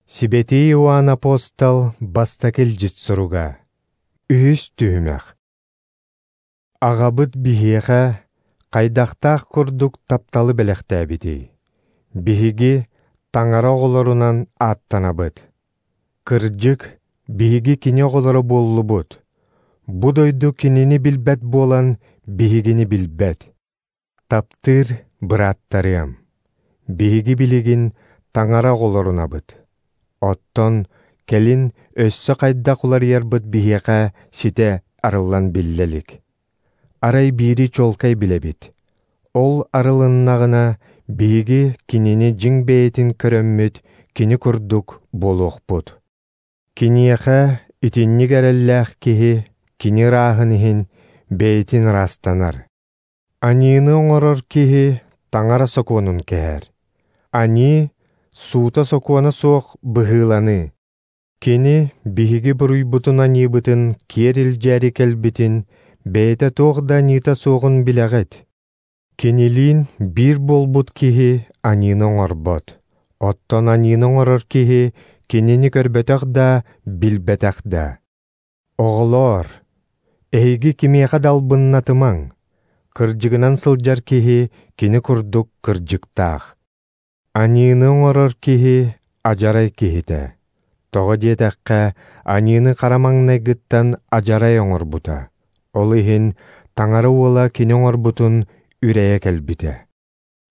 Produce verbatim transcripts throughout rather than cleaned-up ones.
Сибэтии Иоанн апостол бастакы илдьит суруга. Үһүс түһүмэх. Аҕабыт биһиэхэ хайдахтаах курдук тапталы бэлэхтээбитий. Биһиги Таҥара оҕолорунан ааттанабыт. Кырдьык, биһиги кини оҕолоро буоллубут. Бу дойду кинини билбэт буолан, биһигини билбэт. Таптыыр бырааттарыам, биһиги билигин Таҥара оҕолорунабыт. Оттон кэлин өссө хайдах уларыйарбыт биһиэхэ ситэ арыллан биллэ илик. Арай биири чуолкай билэбит. Ол арылыннаҕына, биһиги кинини дьиҥ бэйэтин көрөммүт, кини курдук буолуохпут. Киниэхэ итинник эрэллээх киһи кини ырааһын иһин бэйэтин ыраастанар. Аньыыны оҥорор киһи Таҥара сокуонун кэһэр. Аньыы суута-сокуона суох быһыыланыы. Кини биһиги буруйбутун аньыыбытын киэр илдьээри кэлбитин, бэйэтэ туох да аньыыта суоҕун билэҕит. Кинилиин биир буолбут киһи аньыыны оҥорбот. Оттон аньыыны оҥорор киһи кинини көрбөтөх да, билбэтэх да. Оҕолоор, эһиги кимиэхэ да албыннатымаҥ. Кырдьыгынан сылдьар киһи кини курдук кырдьыктаах. Аньыыны оҥорор киһи адьарай киһитэ. Тоҕо диэтэххэ, аньыыны хара маҥнайгыттан адьарай оҥорбута. Ол иһин Таҥара уола кини оҥорбутун үрэйэ кэлбитэ.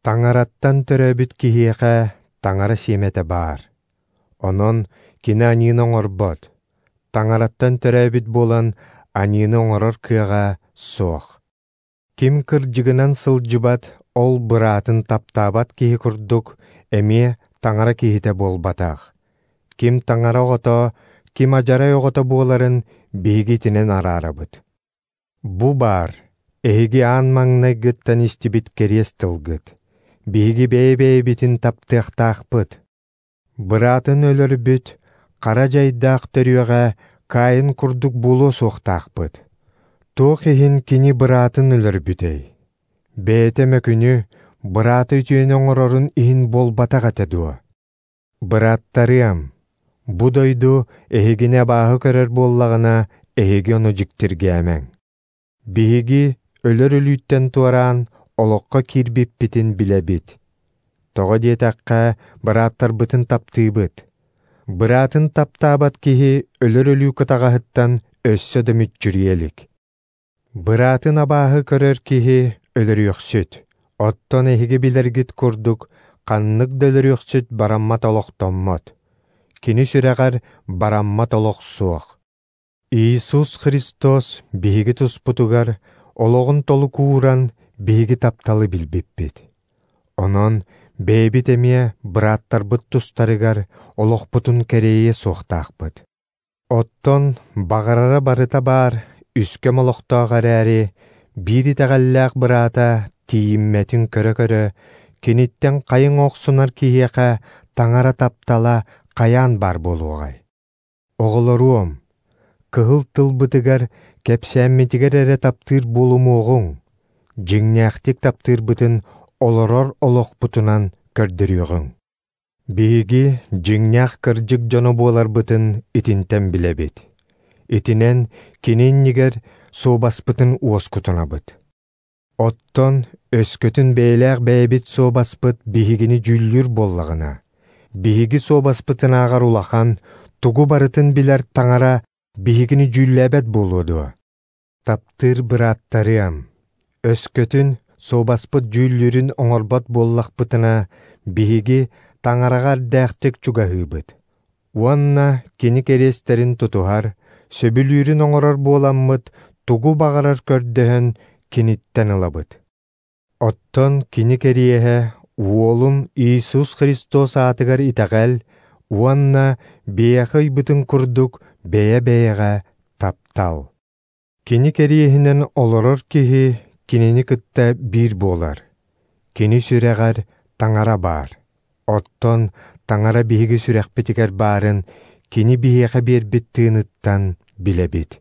Таҥараттан төрөөбүт киһиэхэ Таҥара сиэмэтэ баар. Онон кини аньыыны оҥорбот. Таҥараттан төрөөбүт буолан аньыыны оҥорор кыаҕа суох. Ким кырдьыгынан сылдьыбат, ол быраатын таптаабат киһи курдук эмиэ Таҥара киһитэ буолбатах. Ким Таҥара оҕото, ким адьарай оҕото буоларын биһиги итинэн араарабыт. Бу баар, эһиги аан маҥнайгыттан истибит кэриэс тылгыт. Биһиги бэйэ-бэйэбитин таптыахтаахпыт. Быраатын өлөрбүт, хара дьайдаах төрүөҕэ Каин курдук буолуо суохтаахпыт. Туох иһин кини быраатын өлөрбүтэй? Бэйэтэ мөкүнү, быраата үтүөнү оҥорорун иһин буолбатах этэ дуо? Бырааттарыам, бу дойду эһигини абааһы көрөр буоллаҕына, эһиги ону дьиктиргээмэҥ. Биһиги өлөр өлүүттэн туораан олоххо киирбиппитин билэбит. Тоҕо диэтэххэ, бырааттарбытын таптыыбыт. Быраатын таптаабат киһи өлөр өлүү кытаҕаһыттан өссө да мүччүрүйэ илик. Быраатын абааһы көрөр киһи өлөрүөхсүт. Оттон эһиги билэргит курдук, ханнык да өлөрүөхсүт бараммат олохтоммот. Кини сүрэҕэр бараммат олох суох. Иисус Христос биһиги туспутугар олоҕун толук ууран биһиги тапталы билбиппит. Онон бэйэбит эмиэ бырааттарбыт тустарыгар олохпутун кэриэйиэ суохтаахпыт. Оттон баҕарара барыта баар үскэм олохтоох эрээри, биир итэҕэллээх быраата тиийиммэтин көрө-көрө, киниттэн хайыҥ охсунар киһиэхэ Таҥара таптала хайаан баар буолуоҕай? Оҕолоруом, кыһыл тылбытыгар, кэпсээммитигэр эрэ таптыыр буолумуоҕуҥ, дьиҥнээхтик таптыырбытын олорор олохпутунан көрдөрүөҕүҥ. Биһиги дьиҥнээх кырдьык дьоно буоларбытын итинтэн билэбит. Итинэн кини иннигэр суобаспытын уоскутунабыт. Оттон өскөтүн бэйэлээх бэйэбит суобаспыт биһигини дьүүллүүр буоллаҕына, биһиги суобаспытынааҕар улахан, тугу барытын билэр Таҥара биһигини дьүүллээбэт буолуо дуо? Таптыыр бырааттарыам, өскөтүн суобаспыт дьүүллүүрүн оҥорбот буоллахпытына, биһиги Таҥараҕа эрдээхтик чугаһыыбыт. Уонна кини кэриэстэрин тутуһар, сөбүлүүрүн оҥорор буоламмыт, тугу баҕарар көрдөһөн киниттэн ылабыт. Оттон кини кэриэһэ Уолун Иисус Христос аатыгар итэҕэл уонна биһиэхэ ыйбытын курдук бэйэ-бэйэҕэ таптал. Кини кэриэһинэн олорор киһи кинини кытта биир буолар. Кини сүрэҕэр Таҥара баар. Оттон Таҥара биһиги сүрэхпитигэр баарын кини биһиэхэ биэрбит тыыныттан билэбит.